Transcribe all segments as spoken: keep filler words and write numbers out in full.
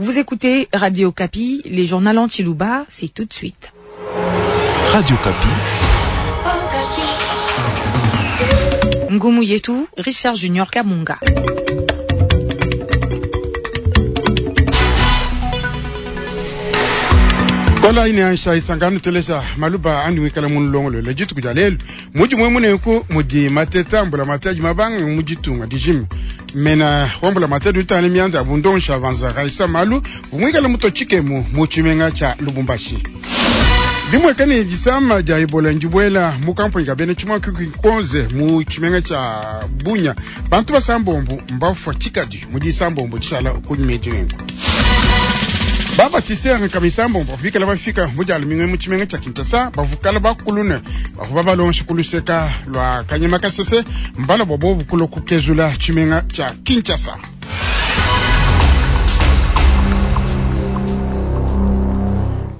Vous écoutez Radio Okapi, les journaux en tshiluba, c'est tout de suite. Radio Okapi. Ngumu Yetu, Richard Junior Kamunga. Kola ine aisha isangano telesha maluba andi wikala mulongolo le jitu kujalelu muji mwe munenku mudi mateta mbula mataji mabanga mujitunga dijimi mena wambula mateta utane mianza abundonsha vanza raisa malu vumwikala mutochikemu muchimenga cha Lubumbashi. Dimwekani jisama ja Ebola njibwela mukampo ikabene chimwa kikonze mu chimenga cha Bunya bantu basambombo mbafa chikadi mudi sambombo chishala kunyimejingo. Baba tisere kamisambombo bikala bafika mujalo mingwe mu chimenga cha Kinshasa bavukala bakulune bavuba balonshi kuluseka lwa kanyama kasese mbala bobo bukulo kukezula chimenga cha Kinshasa.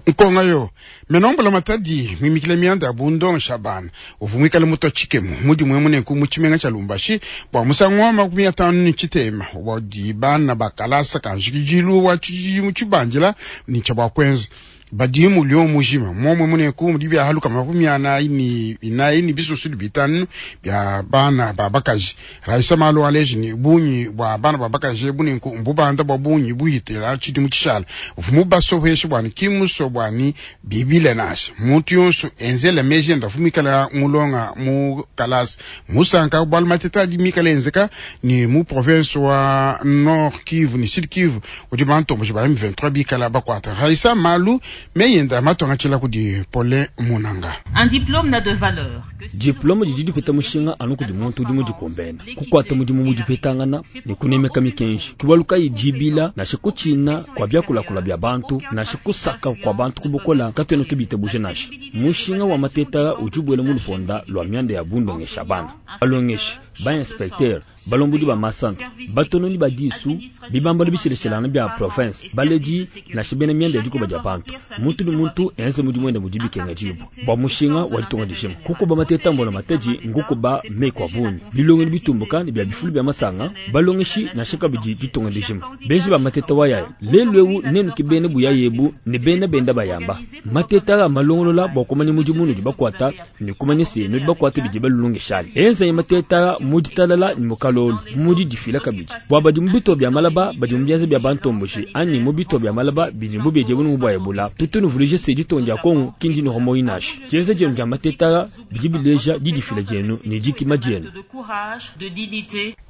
Nkonga yo menombola matadi mwimikile mianda abundo Shaban uvumwikale muto chikemu mudi mwe munenku mu chimenga cha Lubumbashi bwa musango wa makumi atanu ni chitema wadi bana bakalasa kanjikijilu wa chijimu chibanjila ni cha bwakwenza badimu lyo mujima momwe muneku mudi bya haluka makumi anayi ni inayi ni bisusu bitanu bya bana babakaji raisa malo aleji ni bunyi bwa bana babakaji bunenku mbubanda bwa bunyi buhitira chidimu chishala ufumu baso hweshi bwani kimuso bwani bibile nasi muntu yonso enzele meje ndafumikala mulonga mu kalasi musanka bwal mateta di mikala enzeka ni mu province wa Nord Kivu ni Sud Kivu udi bantombo ba M vingt-trois bikala bakwata raisa malu meyenda matonga chila kudi pole munanga. Un diplôme n'a de valeur. Diplôme didi dipeta mushinga anu kudi muntu udi mudikombena kukwata mudimu mudipetangana ne kunemeka mikenji kibaluka idibila nashe kuchina kwa byakulakula bya bantu nashe kusaka kwa bantu kubukola katwena tubite buje nashe mushinga wa mateta ujubwele mu luponda lwa myanda ya bundongesha bana balongeshi ba inspecteur balombodi ba masanta batononi badisu bibambalo bishileshilana bya province baleji nashe bena myanda ya dikoba dia bantu muntu ni muntu enze mudi mwenda mudi bikenga jibu bwa mushinga walitonga dishima kuko ba mateta mbola mateji nguko ba mekwa bunyi bilongo ni bitumbuka ni bya bifulu bya masanga balongeshi na shaka bidi ditonga dishima benji ba mateta waya lelwewu nenu kibene buya yebu ne bena benda bayamba mateta malongolola bwa kumanya mudi munu di bakwata ni kumanya se no di bakwata bidi balulongeshali enze mateta mudi talala ni mukalolo mudi difila kabidi bwa badi mubito bya malaba badi mubyaze bya bantomboshi ani mubito bya malaba bidi mubeje bunu bwa ebola tutunu vulije se ditonja kongo kindi no homo inashi jenze jenu ja mateta bidi bileja didifila jenu ni dikima jenu.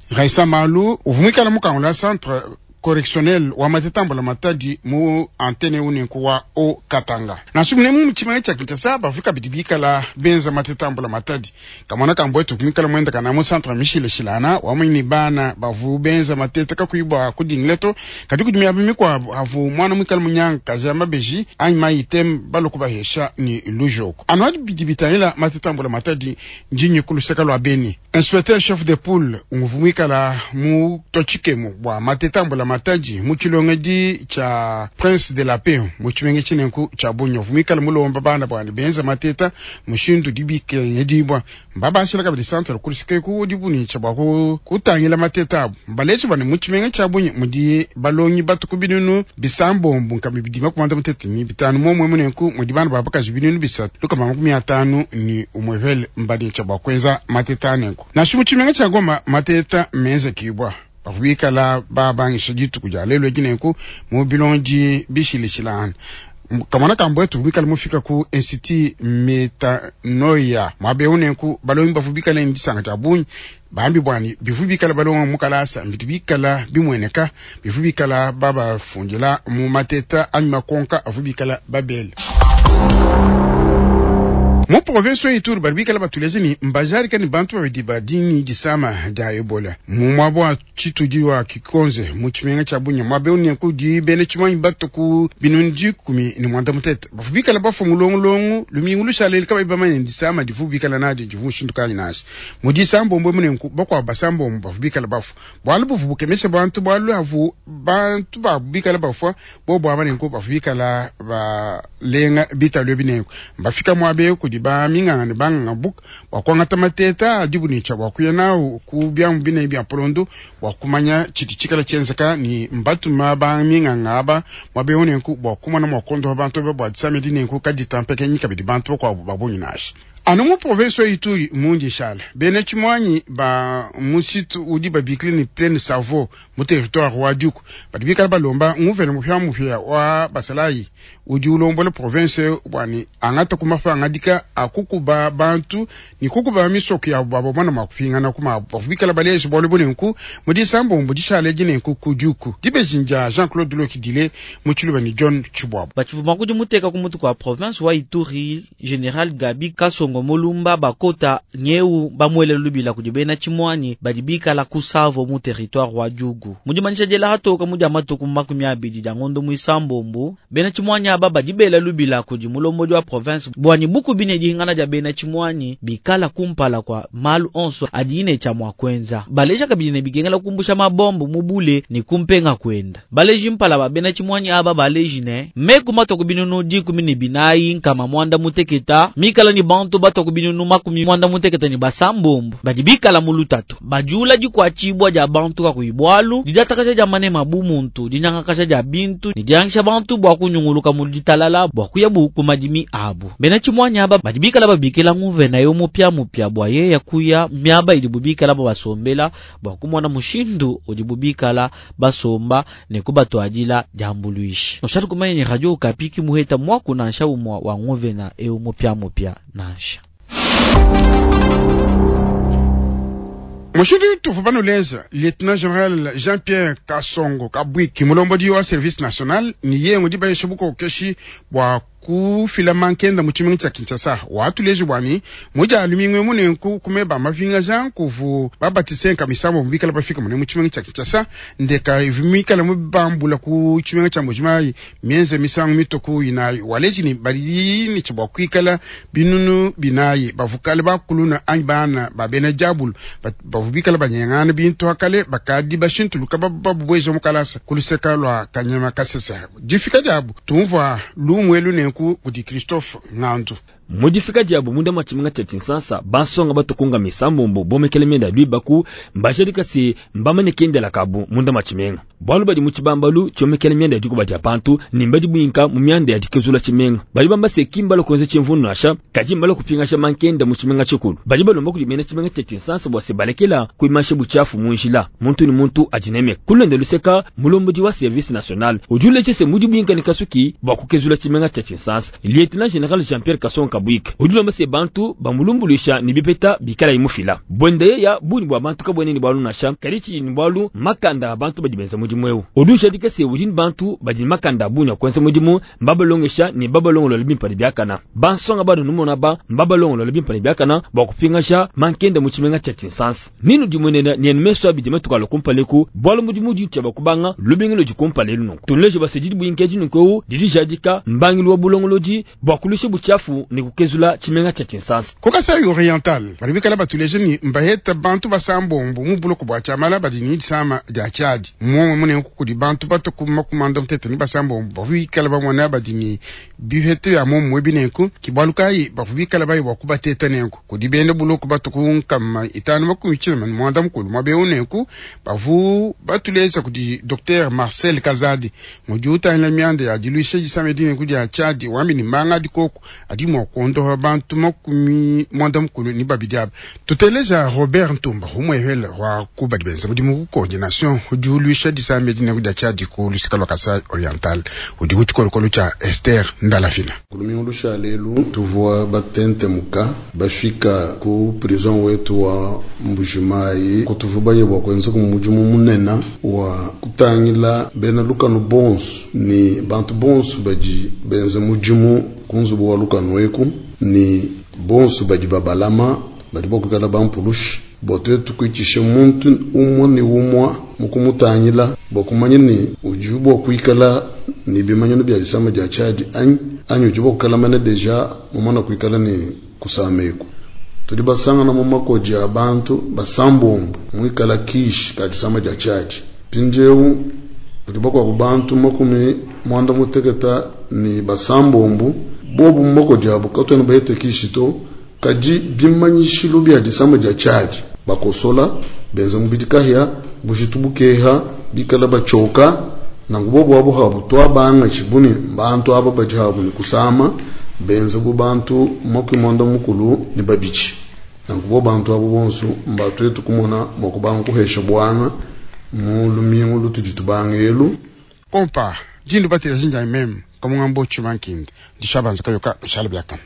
Raisa Malu uvumikala mukangula centre correctionnel wa matetambola matadi mu antene unenku wa o Katanga nasumune mu muchima cha Kinshasa bavuka bidibikala benza matetambola matadi kamwana kambwetu kumikala mwenda kana mu centre Michel Shilana wamwini bana bavu benza mateta kakuibwa kudingleto kati kudimia bimikwa avu mwana mwikala munyanga kaja mabeji anyi maitem baloku bahesha ni lujoko anwadi bidibitaila matetambola matadi njinyi kuluseka lwa Beni inspecteur chef de poule nguvumikala mu tochikemu bwa matetambola mataji muchilongedi cha Prince de la Paix muchimenge chinenku cha Bunya vumikala mulomba bana bwana benza mateta mushindu dibike dibwa mbabashila kabili centre kulisike ku dibuni cha bwa kutangila mateta abo mbalechi bana muchimenge cha Bunya mudi balongi batuku binunu bisambombo nkabi bidima kumanda mutete ni bitanu momwe munenku mudi bana babakaji binunu bisatu luka makumi atanu ni umwevele mbadi cha bwa kwenza mateta nenku nashu muchimenge cha Goma mateta meze kibwa bavubikala babangisha dituku dia lelo eginenku mu bilonji bishilishilana kamwana kambwetu vubikala mufika ku institut metanoia mwabeunenku balongi bavubikala ndisanga cha bunyi bambi bwani bivubikala balonga mukalasa mbitu bikala bimweneka bivubikala babafundila mu mateta anyuma konka avubikala babele mu province ya Ituri baribikala batuleze ni mbajari kani bantu babidi badini disama da Ebola mu mwabo chitudi wa Kikonze mu chimenga cha Bunya mwabe unenku di bene chimanyi batuku binundi kumi ni mwanda mutete bafubikala bafu mulongolongo lumingu lushaleli kaba ibamanye disama divubikala nadi divushindukanyi nasi mu disambombo munenku bakwa basambombo bafubikala bafu bwalu buvubukemesha bantu bwalu havu bantu babikala bafu bo bwa banenku bafubikala balenga bitalwe binenku mbafika mwabe kudi ba minganga ne banganga buka bua kuangata mateta adibu ne tshia bua kuya nawu ku biamu binene bia mpolondo bua kumanya tshidi tshikala tshienzeka ne mbatuma ba minganga aba muaba eu nenku bua kumona mua kuondopa bantu aba bua disama edi nenku kaditampekenyi kabidi bantu bakuabu ba bungi nansha. Anu mu province wa Ituri mundi shala bena tshimuanyi ba musitu udi babikile ne Plaine Savo mu territoire wa Djugu badi bikala balomba nguvena mupiamupia wa basalayi udi ulombola province bua ne angata ku mapangadika a kukuba bantu ne kukuba misoko yabo babo mwana mua kupingana ku mabo bavua bikala baleje bualu bunenku mu disambombo dishala edi nenku ku Djugu. Dibeji dia Jean-Claude Lokidile mu Tshiluba ne John Tshibwabo. Batshivua kudi muteka ku mutu kua province wa Ituri General Gabi Kasongo Mulumba bakota nyeu bamwele lubila kudi bena tshimuanyi badi bikala ku Savo mu territoire wa Djugu. Mudi manisha diela hatoka mudi amatuku makumi abidi dia ngondo muisambombo bena tshimuanyi aba badi bela lubila kudi mulombodi wa province bwani buku bine dihingana dia bena tshimuanyi bikala kumpala kwa malu onso adi ne tshia mua kuenza. Baleja kabidi ne bikengela kumbusha mabombo mubule ne kumpenga kwenda. Baleji mpala ba bena tshimuanyi aba baleji ne meku matoku binunu dikumi ne binayi nkama mwanda muteketa mikala ni bantu batoku binunu makumi mwanda muteketa ni basambombo badi bikala mu lutatu bajula dikuatshibua dia bantu kakuyi bualu didiatakaja dia manema bu muntu dinyangakaja dia bintu ne diangisha bantu bua kunyunguluka mu ditalala bua kuya bu ku madimi abu. Bena tshimuanyi aba badi bikala babikila nguvena yo mupia mupia bua yeya kuya miaba idi bubikala babasombela bua kumona mushindu udi bubikala basomba ne kubatuadila diambuluishi. Noshali kumanya ni Radio Okapi ki muheta mwaku nansha umwa wa nguvena eu mupia mupia nansha. Mushindu tuvu banuleza Lieutenant General Jean-Pierre Kasongo Kabwiki mulombodi wa service national ni yengo dibayesha bukokeshi bua kufila mankenda mu tshimenga tshia Kinshasa watuleje bwani muja alumingwe munenku kumeba mavinga jan kuvu babatisenka misambo mubikala bafika mune mu tshimenga tshia Kinshasa ndeka ivimikala mubambula ku tshimenga tshia Mbujimayi mienze misangu mitoku inayi waleji ni bali ni tshibwa kuikala binunu binayi bavukale bakuluna anyi bana babena jabulu bavubikala banyengana bintu akale bakadi bashintuluka babubweja mukalasa kuluseka lwa kanyama kasesa difika diabu tumvua lumwelu nenku kudi Christophe Ngandu. Mudifika diabu munda mwa tshimenga tshia Kinshasa bansonga batukunga misambombo bomekele mienda lwibaku mbajadika se mbamane kendela kabu munda mwa tshimenga bualu badi mu tshibambalu tshiomekele mienda ya dikuba dia bantu ne mbadi buinka mu mianda ya dikezula tshimenga badi bamba se kimbala kuenza tshimvunu nasha kadi mbala kupingasha mankenda mu tshimenga tshikulu badi balomba kudi mena tshimenga tshia Kinshasa bua se balekela kuimasha buchafu mu njila muntu ni muntu ajinemeka kulenda luseka mulombodi wa service national udi uleje se mudi buinka ne kasuki bua kukezula tshimenga tshia Kinshasa Lieutenant General Jean-Pierre Kasongo Kabwik udi lomba se bantu bamulumbuluisha ni bipeta bikala imufila bwende ya buni bwa bantu kabwene ni bwalu nasha kalichi ni bwalu makanda abantu badi benza mudimu eu udi ujadika se udi ni bantu badi makanda buni kwenza mudimu mbabalongesha ni babalongolola bimpa ne biakana bansonga banu numona ba mbabalongolola bimpa ne biakana bua kupingasha mankenda mu tshimenga tshia Kinshasa ninu dimunene ni meso abidi matukalo kumpaleku bwalu mudimu udi tshia bakubanga lubingilo dikumpalelu nunku tunleje basedidi buinkeji nunku didi jadika mbangilu wa bulongolodi bua kulusha buchafu ni kukezula tshimenga tshia Kinshasa. Ku Kasai Oriental badi bikala batuleje ni mbaheta bantu basambombo mu buloko bua tshiamala badi ni disama dia tshiadi momwe munenku kudi bantu batuku makumanda mutete ni basambombo bavu bikala bamona badi ni bihete bya momwe binenku kibwalu kayi bavu bikala bayi bua kubateta nenku kudi bende buloko batuku nkama itanu makumi tshina ni mwanda mukulu mwabeu nenku bavu batuleza kudi Docteur Marcel Kazadi mudi utangila mianda ya diluisha disama dinenku dia tshiadi wambi ni manga dikoko adi mua kuondoha bantu makumi mwanda mukulu ni babidi aba tuteleja Robert Ntumba umwehele wa kubadi benza mudimu ku coordination udi uluisha disama dinenku dia tshiadi ku lusika lwa Kasai Oriental udi ku tshikolokolo tshia Esther Ndalafina. Kulumingu lusha lelu tuvua batente muka bafika ku prison wetu wa Mbujimayi kutuvubaye bua kuenza ku mudimu munene wa kutangila bena lukanu bonso ni bantu bonso badi benza mudimu kunzubu wa lukanu eku ni bonso badi babalama badi bakuikala bampulushi bua tuetu kuitisha muntu umwe ni umwe mukumutangila bua kumanya ni udi bua kuikala ni bimanyano bia disama dia tshiadi anyi anyi udi bua kukala mene deja mumana kuikala ni kusameku tudi basangana mu makodi a bantu basambombo muikala kishi ka disama dia tshiadi mpindieu udi bakuabu bantu makumi mwanda muteketa ni basambombo Bobu moko diabu katwena bahete kishi to, kadi bimanyishilu bia disama dia tshiadi bakosola benza mubidi kahia bujitu bukeha bikala bachoka nangu bobu abo habu twabanga tshibuni bantu aba badi habu ni kusama benza bu bantu makumi mwanda mukulu ni babidi nangu bo bantu abo bonso mbatwetu kumona mwakubanga kuhesha bwanga mu lumingu lutudi tubanga elu kompa jindu batela jinja meme kamungambo chimankindi dishabanza kayoka shala byakana.